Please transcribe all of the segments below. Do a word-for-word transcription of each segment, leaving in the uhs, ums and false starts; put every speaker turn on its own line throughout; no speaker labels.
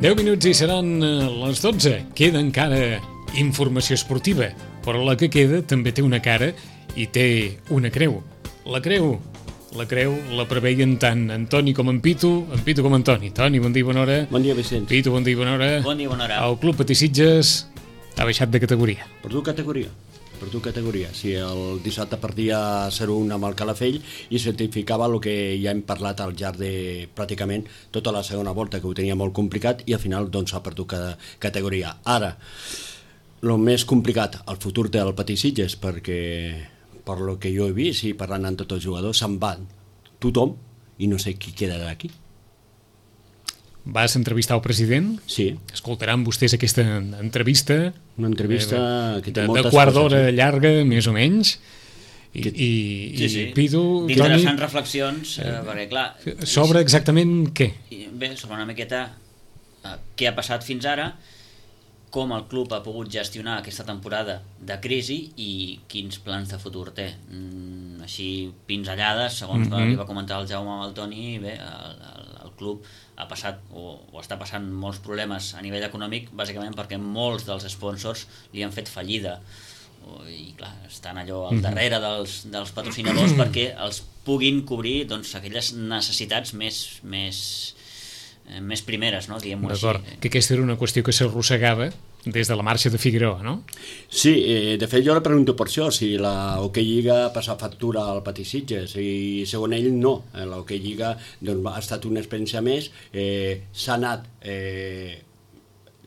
deu minuts i seran les dotze. Queda encara informació esportiva, però la que queda també té una cara i té una creu. La creu, la creu la preveien tant Antoni com en Pitu, en Pitu com en Toni. Toni, bon dia, bona hora.
Bon dia, Vicenç.
Pitu, bon dia, bona hora.
Bon dia, bona hora.
El Club Patí Sitges ha baixat de categoria.
Per tu categoria. Per tu categoria. Si el dissabte perdia zero un amb el Calafell i certificava el que ja hem parlat al llarg de pràcticament tota la segona volta, que ho tenia molt complicat, i al final doncs ha perdut cada categoria. Ara, el més complicat, el futur del Patí Sitges, perquè per lo que jo he vist i parlant amb tots els jugadors, se'n va tothom i no sé qui queda d'aquí.
Vas entrevistar el president?
Sí.
Escoltaran vostès aquesta entrevista.
Una entrevista eh, que té
de,
moltes
de quart
coses,
d'hora
sí.
llarga, més o menys. I,
Que...
i,
Sí,
i
sí.
Pitu,
D'interessants
Toni,
reflexions, eh, perquè clar...
sobre exactament què?
i- Bé, sobre una miqueta eh, què ha passat fins ara, com el club ha pogut gestionar aquesta temporada de crisi i quins plans de futur té. Mm, així, pinzellades, segons
Mhm.
li va comentar el Jaume amb el Toni, bé, el, el, el club ha passat o, o està passant molts problemes a nivell econòmic, bàsicament perquè molts dels sponsors li han fet fallida. O- i clar, estan allò al darrere dels, dels patrocinadors perquè els puguin cobrir doncs, aquelles necessitats més, més, eh, més primeres, no? Diguem-ho així.
D'acord, que aquesta era una qüestió que s'arrossegava des de la marxa de Figueroa, no?
Sí, eh, de fet jo le pregunto per això, si la Hockey Lliga passa factura al Patí Sitges, i segons ell no. Eh, la Hockey Lliga doncs, ha estat una experiència més, eh, s'ha anat eh,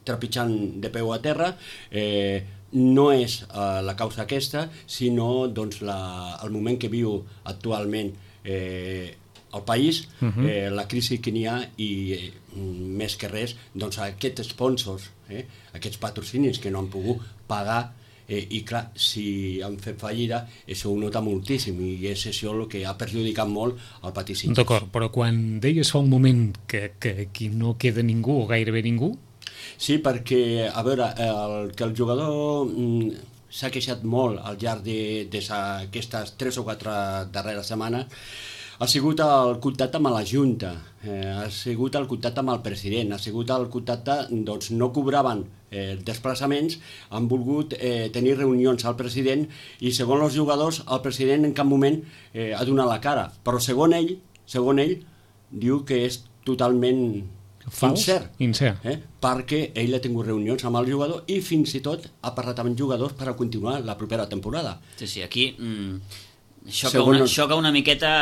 trepitjant de peu a terra, eh, no és eh, la causa aquesta, sinó doncs, la, el moment que viu actualment eh, el país,
Mhm.
eh, la crisi que n'hi ha i eh, més que res doncs, aquests sponsors, eh, aquests patrocinis que no han pogut pagar, eh, i clar, si han fet fallida això ho nota moltíssim i és això el que ha perjudicat molt el Patí Sitges.
D'acord, però quan deies fa un moment que, que aquí no queda ningú o gairebé ningú,
Sí, perquè, a veure, el, que el jugador mm, s'ha queixat molt al llarg d'aquestes tres o quatre darreres setmanes ha sigut el contacte amb la Junta, eh, ha sigut el contacte amb el president, ha sigut el contacte, doncs no cobraven eh, desplaçaments, han volgut eh, tenir reunions al president i segons els jugadors el president en cap moment eh, ha donat la cara, però segons ell, segons ell diu que és totalment
fals,
incert.
incert.
Eh? Perquè ell ha tingut reunions amb el jugador i fins i tot ha parlat amb jugadors per a continuar la propera temporada.
Sí, sí, aquí mm, xoca,
Segons
una,
els-
xoca una miqueta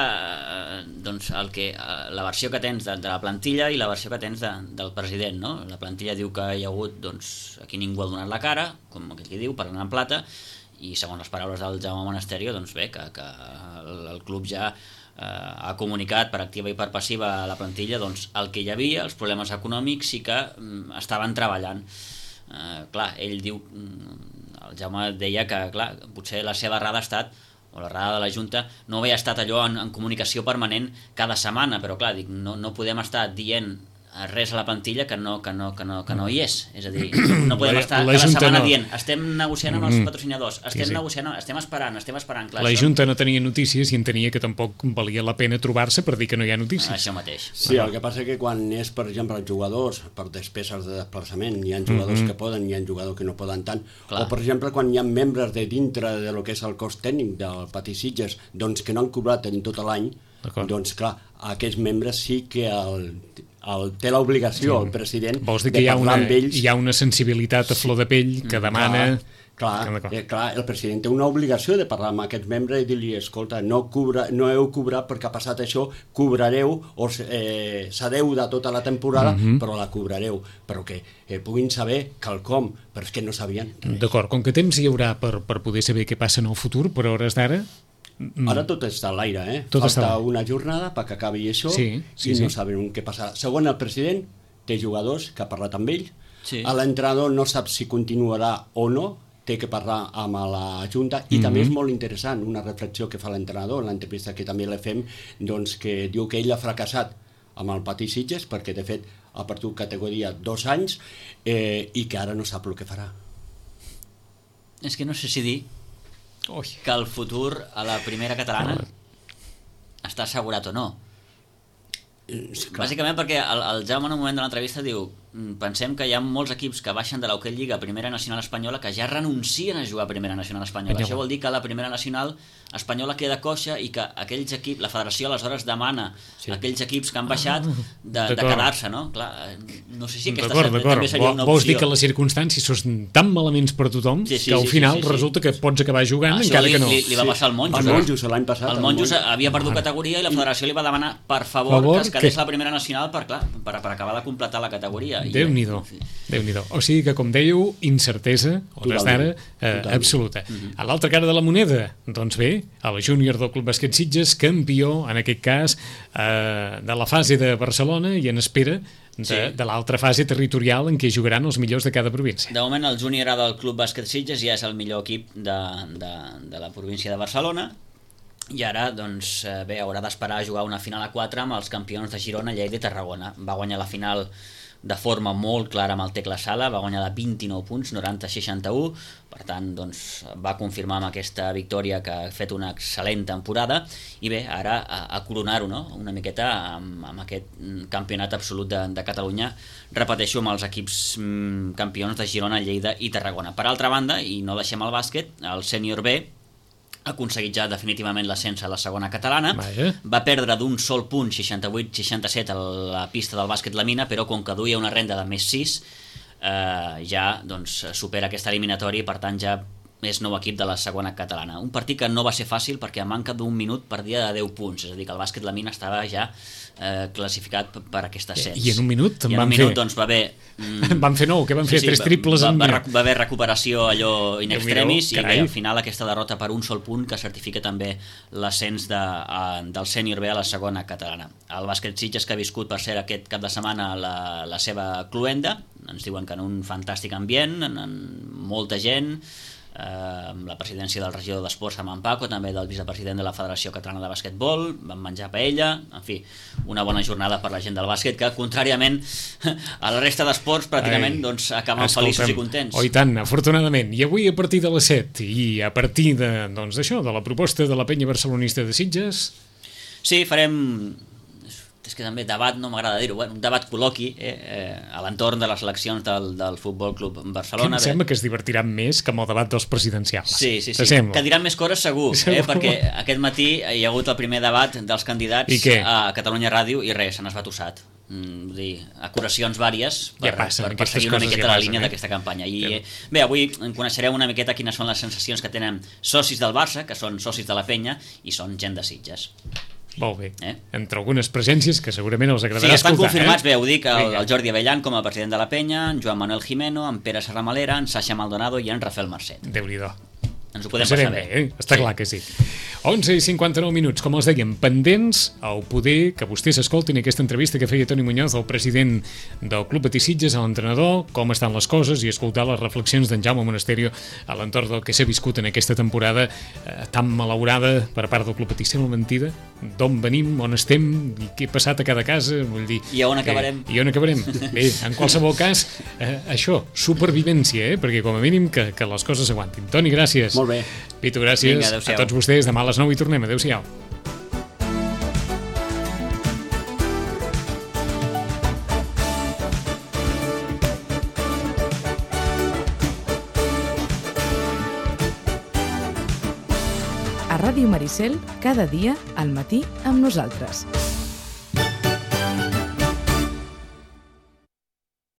eh, doncs el que, eh, la versió que tens de, de la plantilla i la versió que tens de, del president, no? La plantilla diu que hi ha hagut, doncs, aquí ningú ha donat la cara, com aquell que diu, parlant en plata, i segons les paraules del Jaume Monasterio, doncs bé, que, que el, el club ja eh, ha comunicat per activa i per passiva a la plantilla doncs, el que hi havia, els problemes econòmics i que mm, estaven treballant. Eh, clar, ell diu, mm, el Jaume deia que clar, potser la seva errada ha estat o la errada de la Junta no havia estat allò en, en comunicació permanent cada setmana, però clar, dic, no, no podem estar dient res a la plantilla que no, que no, que no, que no hi és, és a dir, no podem
La-
estar
la
cada
Junta
setmana
no.
dient estem negociant amb els
Mm.
patrocinadors, estem
Sí, sí.
negociant, estem esperant, estem esperant, clar,
la
això,
Junta no tenia notícies i entenia que tampoc valia la pena trobar-se per dir que no hi ha notícies.
això mateix.
Sí, el que passa és que quan és, per exemple, els jugadors, per despeses de desplaçament, hi ha jugadors
Mhm.
que poden, hi ha jugadors que no poden tant,
Clar.
o per exemple quan hi ha membres de dintre de lo que és el cos tècnic del Patí Sitges, doncs que no han cobrat en tot l'any,
D'acord.
doncs clar, aquests membres sí que el, el, té l'obligació,
Sí.
el president,
Vols dir
de
que hi ha,
parlar
una,
amb ells.
hi ha una sensibilitat a flor de pell que demana...
Clar,
D'acord.
eh, clar, el president té una obligació de parlar amb aquests membres i dir-li, escolta, no, cobra, no heu cobrat perquè ha passat això, cobrareu, o eh, cedeu de tota la temporada,
Mhm.
però la cobrareu, però que eh, puguin saber quelcom, però és que no sabien res.
D'acord, com que temps hi haurà per, per poder saber què passa en el futur, per hores d'ara... mm,
Ara tot està a l'aire, eh?
Tot està a
Falta
l'aire.
una jornada perquè acabi això
Sí, sí,
i no
sí.
sabem què passarà. Segons el president, té jugadors que ha parlat amb ell,
Sí.
l'entrenador no sap si continuarà o no, té que parlar amb la Junta i
Mhm.
també és molt interessant una reflexió que fa l'entrenador en l'entrevista que també la fem, doncs que diu que ell ha fracassat amb el Patí Sitges perquè de fet ha perdut categoria dos anys eh, i que ara no sap el que farà.
És que no sé si dir
Ui.
que el futur a la primera catalana està assegurat o no.
Eh, clar.
Bàsicament perquè el, el Jaume en un moment de l'entrevista diu pensem que hi ha molts equips que baixen de l'Hockey Lliga a Primera Nacional Espanyola que ja renuncien a jugar a Primera Nacional Espanyola. Això vol dir que la Primera Nacional Espanyola queda coixa i que aquells equips, la federació aleshores demana sí. a aquells equips que han baixat de, de quedar-se, no? Clar, no sé si aquesta
d'acord, d'acord.
també seria una opció.
Vols dir que les circumstàncies són tan malaments per tothom sí, sí, que al sí, final sí, sí, sí. resulta que pots acabar jugant ah, encara
li,
que no.
Li, li va passar al Monjos.
El Monjos l'any passat.
El Monjos havia perdut categoria i la federació li va demanar per favor, favor que es quedés que... la Primera Nacional per, clar, per, per acabar de completar la categoria.
Déu-n'hi-do. Sí. Déu-n'hi-do. O sigui que, com dèieu, incertesa, hores d'ara, eh, absoluta. Mm-hmm. A l'altra cara de la moneda, doncs bé, el júnior del Club Bàsquet Sitges, campió, en aquest cas, eh, de la fase de Barcelona i en espera de, sí. de l'altra fase territorial en què jugaran els millors de cada província.
De moment, el júnior A del Club Bàsquet Sitges ja és el millor equip de, de, de la província de Barcelona i ara, doncs, bé, haurà d'esperar a jugar una final a quatre amb els campions de Girona, Lleida i Tarragona. Va guanyar la final de forma molt clara amb el Tecla Sala, va guanyar de vint-i-nou punts, noranta a seixanta-u, per tant, doncs, va confirmar amb aquesta victòria que ha fet una excel·lent temporada i bé, ara a, a coronar-ho, no? Una miqueta amb, amb aquest campionat absolut de, de Catalunya, repeteixo, amb els equips mm, campions de Girona, Lleida i Tarragona. Per altra banda, i no deixem el bàsquet, el sènior B ha aconseguit ja definitivament l'ascens a la segona catalana.
Vaja. Va
perdre d'un sol punt, seixanta-vuit seixanta-set, a la pista del bàsquet La Mina, però com que duia una renda de més sis, eh, ja doncs, supera aquesta eliminatòria i per tant ja és nou equip de la segona catalana. Un partit que no va ser fàcil perquè a manca d'un minut perdia de deu punts, és a dir, que el bàsquet La Mina estava ja eh, classificat per aquest ascens.
I en un minut
I en
van
un minut,
fer...
doncs, va haver...
Mm, van fer nou, que van fer sí, sí, tres triples
va,
en...
Va, va haver recuperació allò in extremis i bé, al final aquesta derrota per un sol punt que certifica també l'ascens de, a, del sènior B a la segona catalana. El bàsquet Sitges, que ha viscut per ser aquest cap de setmana la, la seva cluenda, ens diuen que en un fantàstic ambient, en, en molta gent, eh, amb la presidència del regidor d'Esports, amb en Paco, també del vicepresident de la Federació Catalana de Basquetbol, van menjar paella, en fi, una bona jornada per la gent del bàsquet, que contràriament a la resta d'esports pràcticament Ai, doncs, acaben escolta'm, feliços i contents.
Oh, i tant, afortunadament. I avui a partir de les set i a partir de, doncs, d'això, de la proposta de la penya barcelonista de Sitges...
Sí, farem... és que també debat, no m'agrada dir-ho, bueno, un debat col·loqui eh, eh, a l'entorn de les eleccions del, del Futbol Club Barcelona.
Que em sembla que es divertiran més que amb el debat dels presidencials.
Sí, sí, sí, que diran més coses segur, segur. Eh, perquè aquest matí hi ha hagut el primer debat dels candidats a Catalunya Ràdio i res, se n'ha esbatussat. Mm, dir, acuracions vàries per,
ja passen,
per, per seguir una miqueta
ja
la
passen,
línia
eh?
d'aquesta campanya i ja. Bé, avui en coneixereu una miqueta quines són les sensacions que tenen socis del Barça, que són socis de la penya i són gent de Sitges.
Molt bé,
eh?
Entre algunes presències que segurament els agradarà
sí, estan
escoltar.
Confirmats,
eh?
bé, ho dic, el, el Jordi Avellan com a president de la penya, en Joan Manuel Jimeno, en Pere Serramalera, en Sasha Maldonado i en Rafael Marcet.
Déu-n'hi-do.
Ens ho podem passar bé.
bé eh? Està sí. clar que sí. onze i cinquanta-nou minuts, com els dèiem, pendents al poder que vostès escoltin aquesta entrevista que feia Toni Muñoz, el president del Club Betis Sitges, a l'entrenador, com estan les coses i escoltar les reflexions d'en Jaume Monasterio a l'entorn del que s'ha viscut en aquesta temporada eh, tan malaurada per part del Club Betis. Sembla mentida? D'on venim, on estem i què ha passat a cada casa? Vull dir,
I on acabarem?
Eh, I on acabarem? Bé, en qualsevol cas, eh, això, supervivència, eh? Perquè com a mínim que, que les coses s'aguantin. Toni, gràcies.
Molt bé.
Pitu, gràcies.
Vinga,
a tots vostès. Demà a les nou i tornem. Adéu-siau.
A Ràdio Maricel, cada dia al matí amb nosaltres.